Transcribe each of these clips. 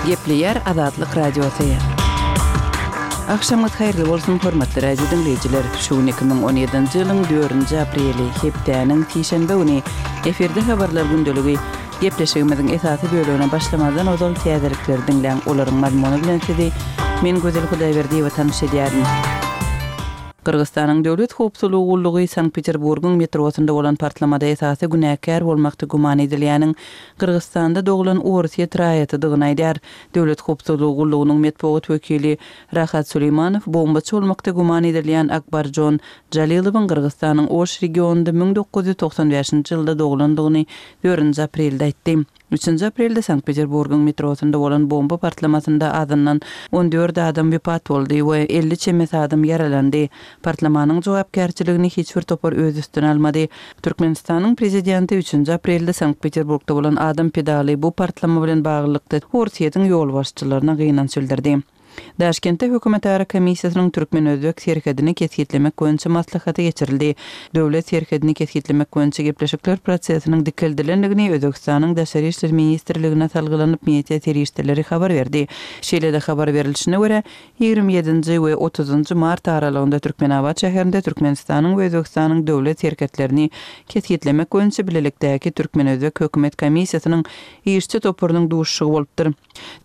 Gepleýär Azatlyk Radiosy. Agşamyňyz haýyrly bolsun, hormatly radio diňleýjiler! Şu gün 2017-nji ýylyň dördünji apreli, hepdäniň sişenbe güni. Efirde habarlar gündeligi. Gepleşigimiziň esasy bölegine başlamazdan ozal täzelikleri diňläň, olaryň mazmuny bilen sizi men Gözel Hudaýberdiýewa tanyş edýärin. Gyrgyzystanyň Döwlet howpsuzlygy gullugy Sankt-Peterburgyň metrosynda bolan partlamada esasy günäkär bolmakda güman edilýäniň Gyrgyzystanda doglan orsýet raýatydygyny aýdýar. Döwlet howpsuzlygy gullugynyň metbugat wekili Rahat Suleýmanow bombaçy bolmakda güman edilýän Akbarjon Jalilowyň Gyrgyzystanyň Oş regionynda 1995-nji ýylda doglandygyny dördünji aprelde aýtdy. Üçünji aprelde Sankt-Peterburgyň metrosynda bolan bomba partlamasynda azyndan 14 adam wepat boldy we 50 çemesi adam ýaralandy. Partlamanyň jogapkärçiligini hiç bir topar öz üstüne almady. Türkmenistanyň prezidenti üçünji aprelde Sankt-Peterburgda bolan adam pedaly bu partlama bilen baglylykda Orsýetiň ýolbaşçylaryna gynanç bildirdi. Daşkentde hökümetara komissiýasynyň türkmen-özbek serhedini kesgitlemek boýunça maslahaty geçirildi. Döwlet serhedini kesgitlemek boýunça gepleşikler prosesiniň dikeldilendigini Özbegistanyň Daşary işler ministrligine salgylanyp media serişdeleri habar berdi. Şeýle-de habar berlişine görä, 27-nji we 30-njy mart aralygynda Türkmenabat şäherinde Türkmenistanyň we Özbegistanyň döwlet serhetlerini kesgitlemek boýunça bilelikdäki türkmen-özbek hökümet komissiýasynyň işçi toparynyň duşuşygy bolupdyr.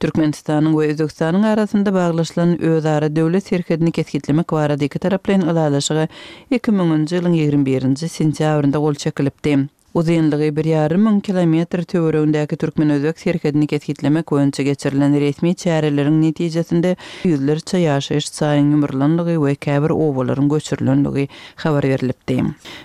Türkmenistanyň we Özbegistanyň arasynda baglaşylan özara döwlet serhedini kesgitlemek barada ikitaraplaýyn ylalaşyga 2000-nji ýylyň 21-nji sentýabrynda gol çekilipdi. Uzynlygy bir ýarym müň kilometr töweregindäki türkmen-özbek serhedini kesgitlemek boýunça geçirilen resmi çäreleriň netijesinde ýüzlerçe ýaşaýyş jaýyň ýumrulandygy we käbir obalaryň göçürilenligi habar berlipdi.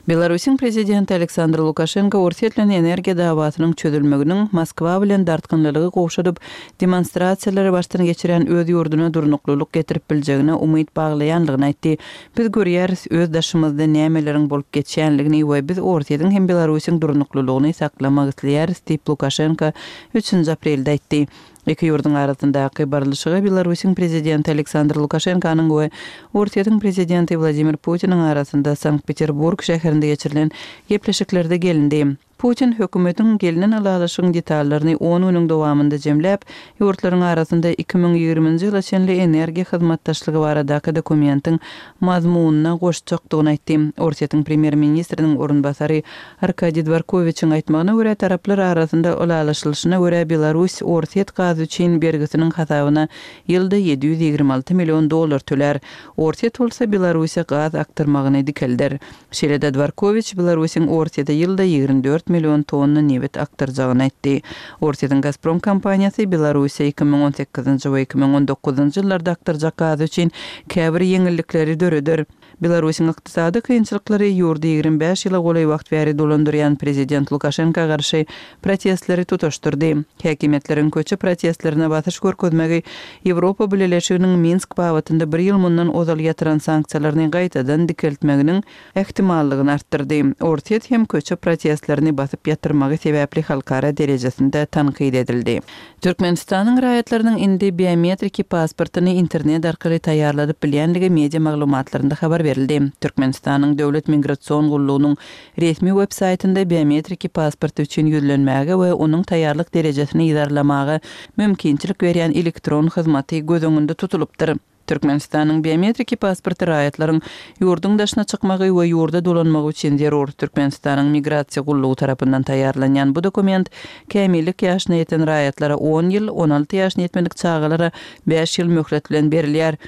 Belarusyň prezidenti Aleksandr Lukaşenko Orsýet bilen energiýa dawasynyň çözülmeginiň Moskwa bilen dartgynlylygy gowşadyp, demonstrasiýalary başdan geçirýän öz ýurduna durnuklylyk getirip biljegine umyt baglaýanlygyny aýtdy. Biz görýäris öz daşymyzda nämeleriň bolup geçýänligini we biz Orsýetiň hem Belarusyň durnuklylygyny saklamak isleýäris diýip, Lukaşenko üçünji aprelde aýtdy. Iki ýurduň arasyndaky barlyşyga Belarusyň prezidenti Aleksandr Lukaşenkonyň we Orsýetiň prezidenti Wladimir Putiniň arasynda Sankt-Peterburg şäherinde geçirilen gepleşiklerde gelindi. Putin hökümetiň gelnen ylalaşygyň detallaryny on günüň dowamynda jemläp, ýurtlaryň arasynda 2020-nji ýyla çenli energiýa hyzmatdaşlygy baradaky dokumentiň mazmunyna goşjakdygyny aýtdy. Orsýetiň premýer-ministriniň orunbasary Arkadiý Dworkowiçiň aýtmagyna görä, taraplar arasynda ylalaşylyşyna görä, Belarus orsýet gazy üçin bergisiniň hasabyna ýylda 726 million dollar tölär. Orsýet bolsa Belarusa gaz akdyrmagyny dikelder. Şeýle-de Dworkowiç Belarusyň Orsýete ýylda 24 million tonna nebit akdyrjagyny aýtdy. Orsýetiň Gazprom kompaniýasy Belarusa 2018-nji we 2019-njy ýyllarda akdyrjak gazy üçin käbir ýeňillikleri döreder. Belarusyň ykdysady kynçylyklary ýurdy 25 ýyla golaý wagt bäri dolandyrýan prezident Lukaşenka garşy protestleri tutaşdyrdy. Häkimiýetleriň köçe protestlerine basyş görkezmegi Ýewropa Bileleşiginiň Minsk babatynda bir ýyl mundan ozal ýatyran sanksiýalaryny gaýtadan dikeltmeginiň ähtimallygyny artdyrdy. Orsýet hem köçe protestlerini basyp ýatyrmagy sebäpli halkara derejesinde tankyt edildi. Türkmenistanyň raýatlarynyň indi biometriki pasportyny internet arkaly taýýarladyp bilýändigi media maglumatlarynda habar berildi. Türkmenistanyň Döwlet migrasion gullugynyň resmi web saýtynda biometriki pasporty üçin ýüzlenmäge we onuň taýýarlyk derejesini yzarlamaga mümkinçilik berýän elektron hyzmaty göz öňünde tutulypdyr. Türkmenistanyň biometriki pasporty raýatlaryň ýurduň daşyna çykmagy we ýurda dolanmagy üçin zerur. Türkmenistanyň Migrasiýa gullugy tarapyndan taýýarlanýan bu dokument kämillik ýaşyna ýeten raýatlara on ýyl, 16 ýaşyna ýetmedik çagalara bäş ýyl möhlet bilen berilýär.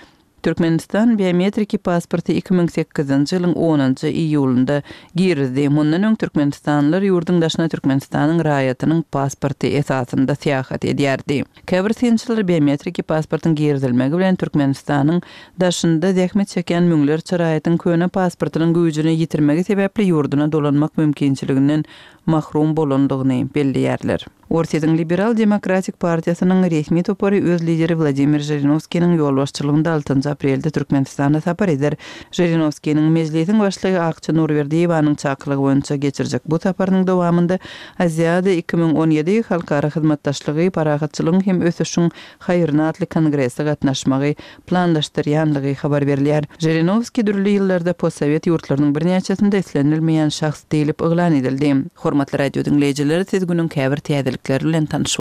Türkmenistan biometriki pasporty 2008-nji ýylyň onunjy iýulynda girizdi. Mundan öň türkmenistanlylar ýurduň daşyna Türkmenistanyň raýatynyň pasporty esasynda syýahat edýärdi. Käbir synçylar biometriki pasportyň girizilmegi bilen Türkmenistanyň daşynda zähmet çekýän müňlerçe raýatyň köne pasportynyň güýjüni ýitirmegi sebäpli ýurduna dolanmak mümkinçiliginden mahrum bolandygyny belleýärler. Orsýetiň Liberal demokratik partiýasynyň resmi topary öz lideri Wladimir Žirinowskiniň ýolbaşçylygynda altynjy aprelde Türkmenistana sapar eder. Žirinowskiniň Mejlisiň başlygy Akja Nurberdiýewanyň çakylygy boýunça geçirjek bu saparynyň dowamynda Aziada 2017 halkara hyzmatdaşlygy parahatçylygyň hem ösüşiň haýryna atly kongrese gatnaşmagy planlaşdyrýanlygy habar berilýär. Žirinowskiý dürli ýyllarda postsowet ýurtlarynyň birnäçesinde islenilmeýän şahs diýlip yglan edildi. Hormatly radio diňleýjiler, siz günüň käbir täzelikleri bilen tanyş.